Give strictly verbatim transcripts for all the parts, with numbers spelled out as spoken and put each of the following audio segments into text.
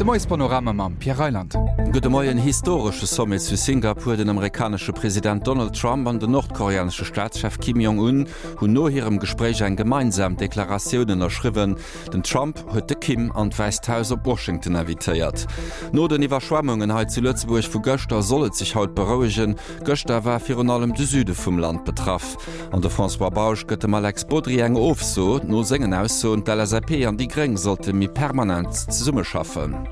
De Moiespanorama mam Pierre Reyland. Gudde Moien, Historesche Sommet zu Singapur, Den amerikanesche President Donald Trump an den nordkoreanesche Staatschef Kim Jong-un hunn no hirem Gespréich eng gemeinsam Deklaratioun ënnerschriwwen. Den Trump huet de Kim an d'Wäisst Haus op Washington invitéiert. No den Iwwerschwemmungen hei zu Lëtzebuerg vu gëschter soll et sech haut berouegen. Gëschter war virun allem de Süde vum Land betraff. An de François Bausch gëtt dem Alex Bodry eng Ofso no sengen Aussoen, d'LSAP an déi Gréng sollte méi permanent zesummeschaffen.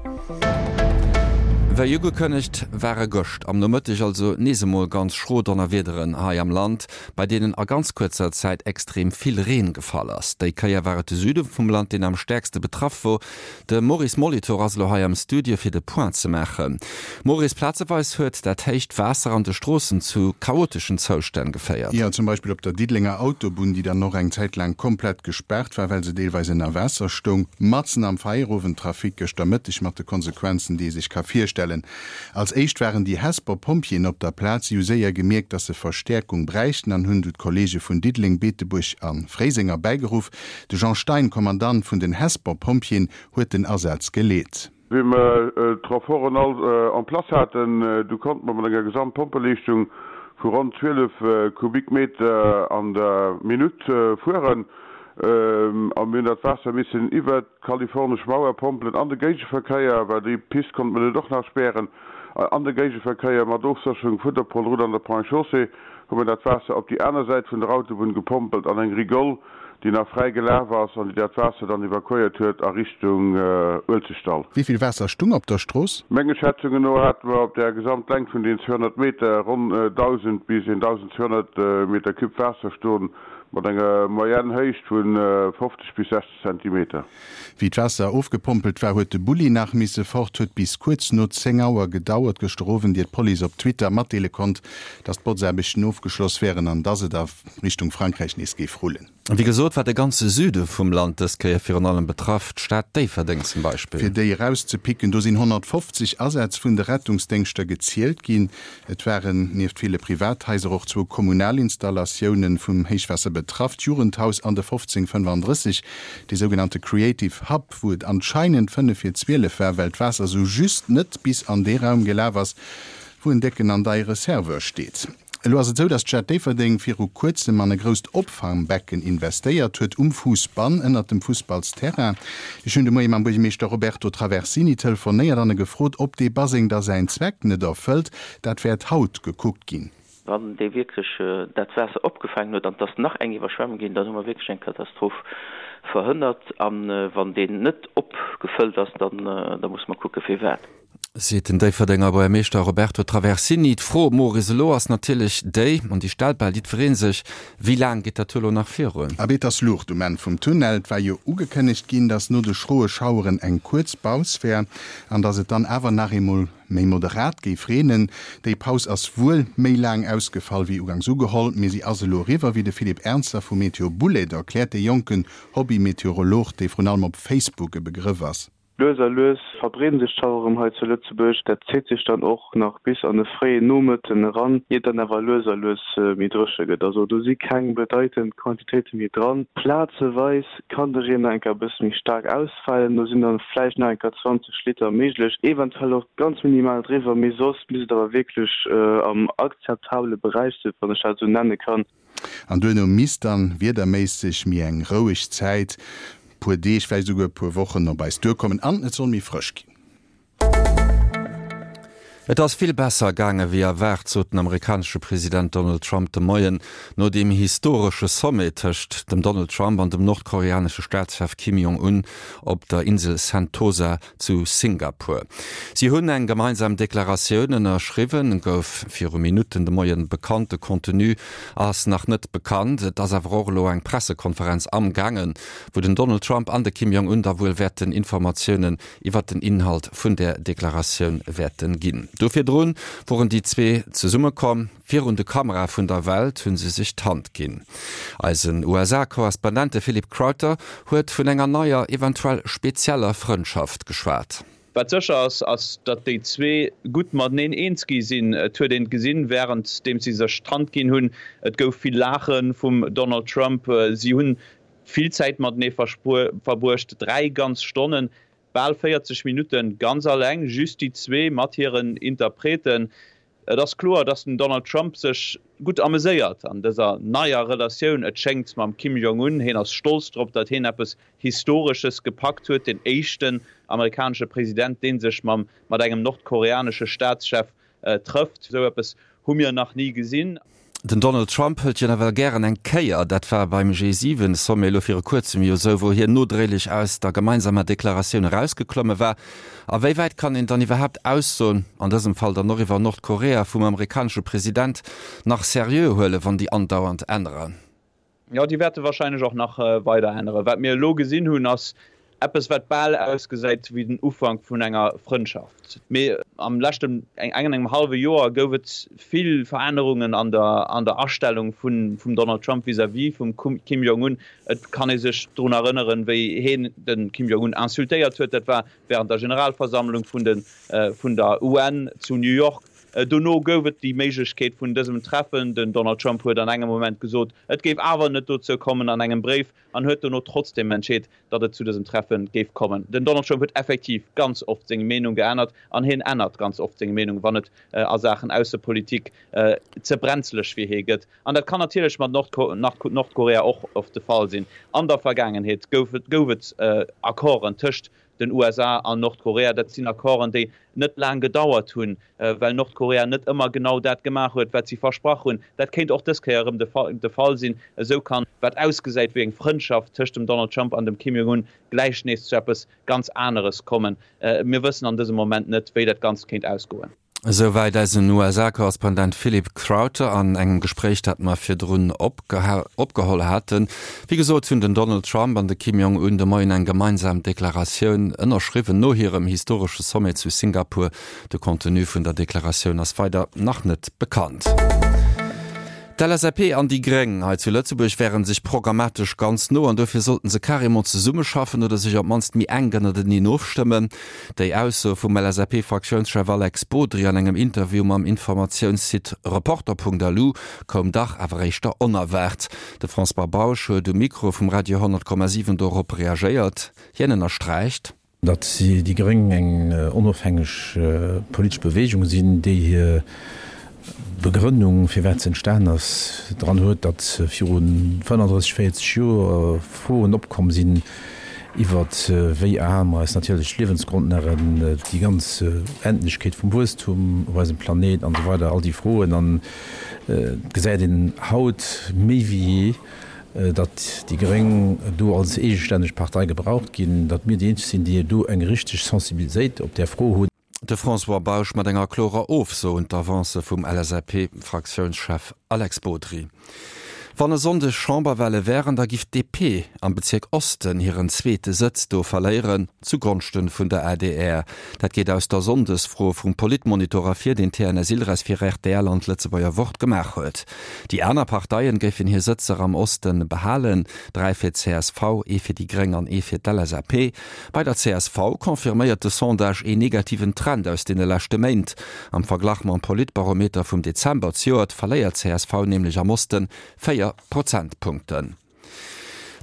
Wéi ugekënnegt, ware gëscht am Nomëtteg also nees emol ganz schro Donnerwiederen hei am Land, bei deenen a ganz kuerzer Zäit extrem vill Reen gefall ass. Déi Kéier war et de Süde vum Land, deen am stäerkste betraff wor. De Maurice Molitor ass elo hei am Studio fir de Point ze maachen. Maurice, plazeweis huet dat héicht Waasser an de Stroossen zu chaoteschen Zoustänn geféiert. Jo, zum Beispill op der Diddelenger Autobunn, déi dann och eng Zäit laang komplett gespaart war, well se deelweis ënner Waasser stoung, matzen am Feierowendtrafic gëschter Mëtteg, mat de Konsequenzen, déi ee sech ka virstellen. Als éischt waren déi Hesper Pompjeeën op der Plaz. Si hu séier gemierkt, dass se Verstäerkung bräichten an hunn du d'Kolleege vun Diddeleng, Beetebuerg a Fréiseng erbäigeruff. De Jean Stein, Kommandant vun den Hesper Pompjeeën, huet den Asaz geleet. Wéi mer d'Renforten all en place haten, du konnte mer mat enger Gesamtpompeleeschtung vu ronn zwielef Kubikmeter an der Minutt fueren. A mir hunn dat Waasser missen iwwert d'kalifornesch Mauer pompelen an de Géigeverkéier, well déi Pist konnte mer net och nach spären, an de Géigeverkéier mat Ofsécherung vun der Polroute an der Ponts et Chaussées hu mer dat Waasser op déi aner Säit vun der Autobunn gepompelt an eng Rigole, déi nach fräi gelaf ass an déi dat Waasser dann evakuéiert huet a Richtung Uelzechtdall. Wéi vill Waasser stung op der Strooss? Menge Schätzungen no hate mer op der Gesamtlängt vun den zweehonnert Meter ronn dausend bis eentausendzweehonnert Meter Cube Waasser stoen. Mat enger Moyenne Héicht vu fofzeg bis sechzeg Zentimeter. Wéi d'Waasser ofgepompelt war, huet de Bulli nach misse fort. Huet bis kuerz no zéng Auer gedauert gëschter Owend, ier d'Police op Twitter matdeele konnt, datt d'Botzaarbechten ofgeschloss wären an datt et a Richtung Frankräich nees géif rullen. Wéi gesot war de ganze Süde vum Land dës Kéier virun allem betraff, d'Stad Déifferdeng zum Beispill. Fir déi erauszepicken, do sinn honnertfofzeg Asätz vun de Rettungsdéngschter gezielt ginn. Et waren nieft ville Privathaiser och zwou kommunal Installatioune vum Héichwaasser betraff, d'Jugendhaus an de fofzéng fënnefandrësseg, dee sougenannte Creative Hub, wou et anscheinend fënnef vir zwielef war, well d'Waasser sou just net bis an dee Raum gelaf ass, wou en décken an deiere Serveur steet. Elo ass et esou, datt d'Stad Déifferdeng viru kuerzem an e grousst Opfangbecken investéiert huet, um Fuussbann, ënnert dem Fussballsterrain. Ech hunn de Moie mam Buergermeeschter Roberto Traversini telefonéiert an e gefrot, ob dee Baseng da säin Zweck net erfëllt. Dat wäert haut gekuckt ginn. Wann dee wierklech dat Waasser opgefaangen huet an et ass nach eng Iwwerschwemmung ginn, dann hu mer wierklech eng Katastroph verhënnert. A wann deen net opgefëllt ass, dann da musse mer kucke firwat. Seet den Déifferdenger Buergermeeschter Roberto Traversini. D'Fro, Maurice, elo ass natierlech déi, an déi stellt bal jiddweree sech, Wéi laang geet dat elo nach virun? Abee, et ass Luucht um Enn vum Tunnel. Et war jo ugekënnegt ginn, datt no de schroe Schaueren eng kuerz Paus wär an datt et dann awer nach eemol méi moderat géif reenen. Déi Paus ass wuel méi laang ausgefall wéi ugangs ugeholl, mee si ass elo eriwwer, wéi de Philippe Ernzer vu Météo Boulaide erkläert, dee jonken Hobby-Meteorolog, dee vrun allem op Facebook e Begrëff ass. Lues a lues verbreeden sech d'Schaueren hei zu Lëtzebuerg. Dat zitt sech dann och nach bis an de fréien Nomëtten eran, ier et dann awer lues a lues méi dréche gëtt. Also do si keng bedeitend Quantitéite méi dran. Plazeweis kann de Reen nach eng Kéier e bësse méi staark ausfalen, do sinn dann vläicht nach eng Kéier zwanzeg Liter méiglech, eventuell och ganz minimal driwwer, mee soss misst et awer wierklech am akzeptabele Beräich sinn, wann ech dat esou nenne kann. An duerno misst dann wiederméisseg méi eng roueg Zäit, puer Deeg, vläicht esouguer e puer Wochen, op eis duerkommen an et soll méi frësch ginn. Et ass vill besser gaange wéi erwaart, sot den amerikanesche President Donald Trump de Moien no deem historesche Sommet tëscht dem Donald Trump an dem nordkoreanesche Staatschef Kim Jong-un op der Insel Sentosa zu Singapur. Si hunn eng gemeinsam Deklaratioun ënnerschriwwen, gouf viru Minutten de Moien bekannt. De Contenu ass nach net bekannt. Et ass awer och elo eng Pressekonferenz amgaangen, wou den Donald Trump an de Kim Jong-un da wuel wäerten Informatiounen iwwert den Inhalt vun där Deklaratioun wäerten ginn. Do virdrun woren déi zwee zesummekomm. Virun de Kamerae vun der Welt hu se sech d'Hand ginn. Eisen U S A-Korrespondent, de Philip Crowther, huet vun enger neier, eventuell spezieller Frëndschaft geschwat. Wat sécher ass, ass datt déi zwee gutt mateneen eens gi sinn. Et huet een gesinn, wärend deem si sech d'Hand ginn hunn, et gouf vill Laache vum Donald Trump. Si hunn vill Zäit matenee verbruecht, dräi ganz Stonnen. Bal véierzeg Minutte ganz alleng, just déi zwee mat hiren Interpreten. Et ass kloer, datt den Donald Trump sech gutt ameséiert an dëser neier Relatioun, et schéngt, mam Kim Jong-un. Hien ass stolz drop, datt hien eppes Historesches gepackt huet, den éischten amerikanesche President, dee sech mam mat engem nordkoreanesche Staatschef trëfft. Esou eppes hu mir nach ni gesinn. Den Donald Trump hëlt jo nawell gären eng Kéier. Dat war beim G siwen Sommet elo viru kuerzem jo esou, wou hien nodréiglech aus der gemeinsamer Deklaratioun erausgeklomme war. A wéi wäit kann een dann iwwerhaapt Aussoen, an dësem Fall dann och iwwer Nordkorea, vum amerikanesche President nach seriö huelen, wann déi andauernd änneren? Jo, déi wäerte warscheinlech och nach weider änneren. Wat mir elo gesinn hunn, ass eppes, wat bal ausgesäit wéi den Ufank vun enger Frëndschaft. Mee am leschten engen engem hallwe Joer gouf et vill Verännerungen an der an der Astellung vun vum Donald Trump vis-à-vis vum Kim Jong-un. Et kann ee sech drun erënneren, wéi heen de Kim Jong-un insultéiert huet. Dat war wärend der Generalversammlung vun de vun der U N zu New York. Dono gouf et déi Méiglechkeet vun dësem Treffen. Den Donald Trump huet an engem Moment gesot, et géif awer net dozou kommen an engem Bréif, an huet dono trotzdeem entscheet, datt et zu dësem Treffe géif kommen. Den Donald Trump huet effektiv ganz oft seng Meenung geännert an hien ännert ganz oft seng Meenung, wann et a Saachen Aussepolitik ze brenzleg fir hie gëtt. An dat kann natierlech mat Nordkorea och oft de Fall sinn. An der Vergaangenheet gouf et Accorden tëscht den U S A an Nordkorea. Dat sinn Accorden, déi net laang gedauert hunn, well Nordkorea net ëmmer genau dat gemaach huet, wat si versprach hunn. Dat kéint och dës Kéier erëm de Fall sinn. Esou kann, wat ausgesäit wéi eng Frëndschaft tëscht dem Donald Trump an dem Kim Jong-un, gläich nees zu eppes ganz aneres kommen. Mir wëssen an dësem Moment net, wéi dat Ganzt kéint ausgoen. Esouwäit eisen U S A-Korrespondent Philip Crowther an engem Gespréich, dat mer virdrun opgeholl haten. Wéi gesot hunn den Donald Trump an de Kim Jong-un de Moien eng gemeinsam Deklaratioun ënnerschriwwen no hirem historesche Sommet zu Singapur. De Contenu vun der Deklaratioun ass weider nach net bekannt. D'L S A P an déi Gréng hei zu Lëtzebuerg wären sech programmatesch ganz no an dofir sollten se carrément zesummeschaffen oder sech op d'mannst méi enk ënnerteneen ofstëmmen. Déi Ausso vum L S A P-Fraktiounschef Alex Bodry an engem Interview mam Informatiounssite reporter punkt L U koum dach awer éischter onerwaart. De François Bausch huet um Mikro vum Radio honnert Komma siwen dorop reagéiert. Hien ënnersträicht, datt déi Gréng eng onofhängeg politesch Beweegung sinn, déi hir Begrënnung, firwat se entstan ass, dran huet, datt viru fënnenddrësseg, véierzeg Joer Froen opkomm sinn iwwer wéi aarm eis natierlech Liewensgrondlagen, déi ganz Endlechkeet vum Wuesstum op eisem Planet an esou weider, all déi Froen. An gesäit een haut méi wéi jee, datt déi Gréng do als eegestänneg Partei gebraucht ginn, datt mir déi eenzeg sinn, déi do eng richteg Sensibilitéit op där Fro hunn. De François Bausch mat enger klorer Ofso un d'Avance vum L S A P-Fraktiounschef Alex Bodry. Wann e Sonndeg Chamberwale wären, da giff d'D P am Bezirk Osten hiren zweete Sëtz do verléieren, zugonschten vun der A D R. Dat geet aus der Sonndesfro vum Politmonitor ervir, deen T N S Ilres fir R T L an d'Lëtzebuerger Wort gemaach huet. Déi aner Parteien géifen hir Sëtzer am Osten behalen, dräi fir d'C S V, ee fir déi Gréng an ee fir d'L S A P. Bei der C S V confirméiert de Sondage een negativen Trend aus deene leschte Méint. Am Verglach mam Politbarometer vum Dezember zejoert verléiert d'C S V nämlech am Osten véier Prozentpunkten.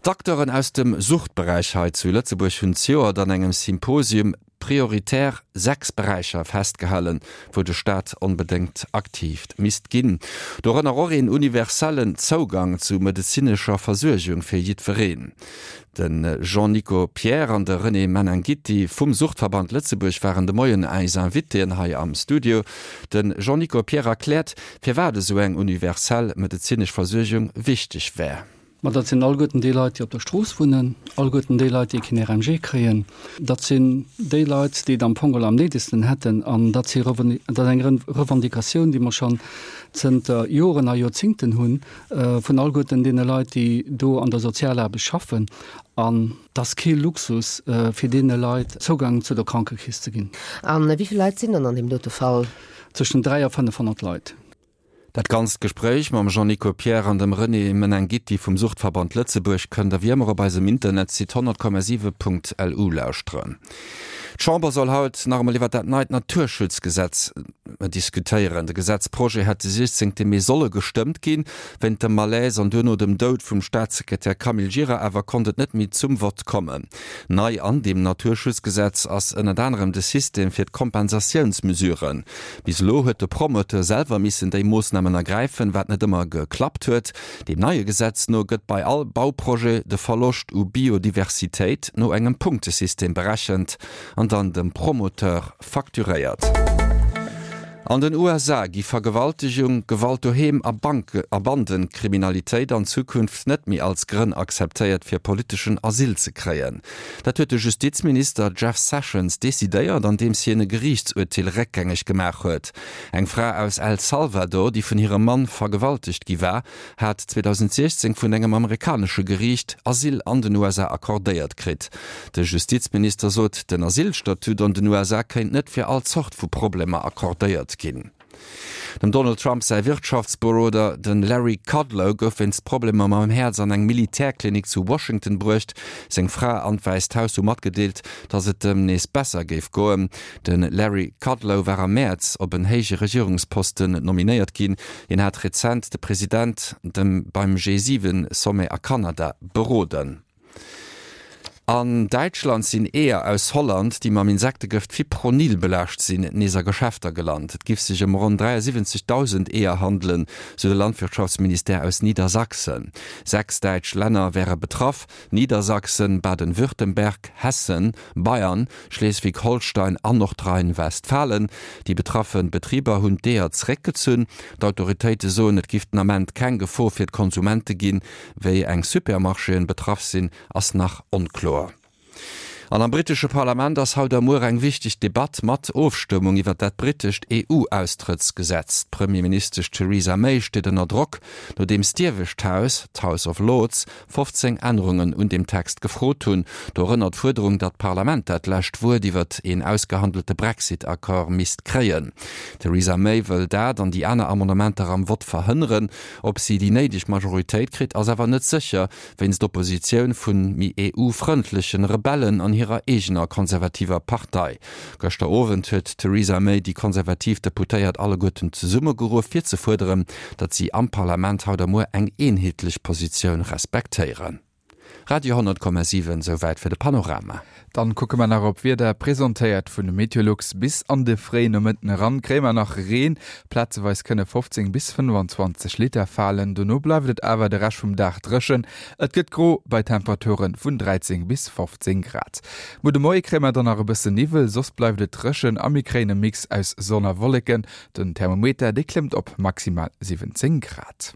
D'Acteuren aus dem Suchtberäich hei zu Lëtzebuerg hunn zejoert an engem Symposium prioritär sechs Beräicher festgehalen, wou de Staat onbedéngt aktiv misst ginn. Dorënner och een universellen Zougang zu medezinescher Versuergung fir jiddwereen. Den Jean-Nico Pierre an de René Menanghitti vum Suchtverband Lëtzebuerg waren de Moien eis Invitéen hei am Studio. Den Jean-Nico Pierre erkläert, firwat esou eng universell medezinesch Versuergung wichteg wär. Ma dat sinn alleguerten déi Leit, déi op der Strooss wunnen, alleguerten déi Leit, déi keen R M G kréien. Dat sinn déi Leit, déi et am Fong am néidegsten hätten an dat si Reven-, dat eng Ren-, Revendicatioun, déi mer schonn zënter Joren a Joerzéngten hunn, äh, vun alleguerten deene Leit, déi do an der Sozialaarbecht schaffen. An das kee Luxus, äh, fir deene Leit Zougang zu der Krankekeess ze ginn. An wéi vill Leit sinn dann an dem dote Fall? Zwëschen dräi a fënnefhonnert Leit. Dat ganzt Gespréich mam Jean-Nico Pierre an dem René Menanghitti vum Suchtverband Lëtzebuerg kënnt der wéi ëmmer op eisem Internetsite honnert Komma siwe Punkt L U lauschteren. D'Chamber soll haut nach emol iwwer dat neit Naturschutzgesetz diskutéieren. De Gesetzprojet hätt de siechzéngte Mee solle gestëmmt ginn. Wéint dem Malaise an duerno dem Doud vum Staatssekretär Camille Gira awer konnt et net méi zum Vott kommen. Nei an deem Naturschutzgesetz ass ënnert anerem de System fir d'Kompensatiounsmesuren. Bis elo huet de Promoteur selwer missen déi Moossnamen ergräifen, wat net ëmmer geklappt huet. Deem neie Gesetz no gëtt bei all Bauprojet de Verloscht u Biodiversitéit no engem Punktesystem berechent an dann dem Promoteur facturéiert. An den U S A gi Vergewaltegung, Gewalt doheem a Bank a Bandenkriminalitéit an Zukunft net méi als Grënn akzeptéiert, fir politeschen Asyl ze kréien. Dat huet de Justizminister Jeff Sessions decidéiert, andeems hien e Geriichtsurteel réckgängeg gemaach huet. Eng Fra aus El Salvador, déi vun hirem Mann vergewaltegt gi war, hat zweedausendsechzéng vun engem amerikanesche Geriicht Asyl an den U S A accordéiert kritt. De Justizminister sot, den Asylstatut an den U S A kéint net fir all Zort vu Problemer accordéiert ginn. Dem Donald Trump säi Wirtschaftsberoder, de Larry Kudlow, gouf wéinst Problemer mam Häerz an eng Militärklinik zu Washington bruecht. Seng Fra an d'Wäisst Haus hu matgedeelt, datt et em nees besser géif goen. De Larry Kudlow war am Mäerz op en héije Regierungsposten nominéiert ginn. Hien hat rezent de President dem beim G siwen Sommet a Kanada beroden. An Däitschland sinn Eeër aus Holland, déi mam Insektegëft Fipronil belaascht sinn, nees a Geschäfter gelant. Et giff sech ëm ronn dräiasiwwenzegdausend Eeër handelen, sou de Landwirtschaftsministère aus Niedersachsen. Sechs däitsch Länner wäre betraff, Niedersachsen, Baden-Württemberg, Hessen, Bayern, Schleswig-Holstein an Nordrhein-Westfalen. Déi betraffe Betriber hunn d'Eeër zeréckgezunn. D'Autoritéite soen, et giff den Ament keng Gefor fir d'Konsumente ginn. Wéi eng Supermarchéen betraff sinn, ass nach onkloer. An am brittesche Parlament ass haut a muer eng wichteg Debatt mat Ofstëmmung iwwer dat brittescht E U-Austrëttsgesetz. D'Premierministesch Theresa May steet ënner Drock, nodeems d'iewescht Haus, d'House of Lords, fofzéng Ännerungen un dem Text gefrot hunn. Dorënner d'Fuerderung, datt d'Parlament dat lescht Wuert iwwer een ausgehandelte Brexit-Accord misst kréien. Theresa May wëll dat an déi aner Amendementer am Vott verhënneren. Ob si déi néideg Majoritéit kritt, ass awer net sécher, wéinst Oppositioun vun méi E U-frëndlechen Rebellen an hirer eegener konservativer Partei. Gëschter Owend huet Theresa May déi konservativ Deputéiert alleguerten zesummegeruff, fir ze fuerderen, datt si am Parlament haut a muer eng eenheetlech Positioun respektéieren. Radio honnert Komma siwen, souwäit fir de Panorama. Dann kucke mer nach op Wieder, presentéiert vun Meteolux. Bis an de fréien Nomëtten eran kréie mer nach Reen. Plazeweis kënne fofzéng bis fënnwanzwanzeg Liter falen. Dono bleift et awer de Rescht vum Dag dréchen. Et gëtt gro bei Temperaturen vun dräizéng bis fofzéng Grad. Muer de Moie kréie mer dann nach e bëssen Niwwel, soss bleift et dréchen a mir kréien e Mix aus Sonn a Wolleken. Den Thermometer, dee klëmmt op maximal siwwenzéng Grad.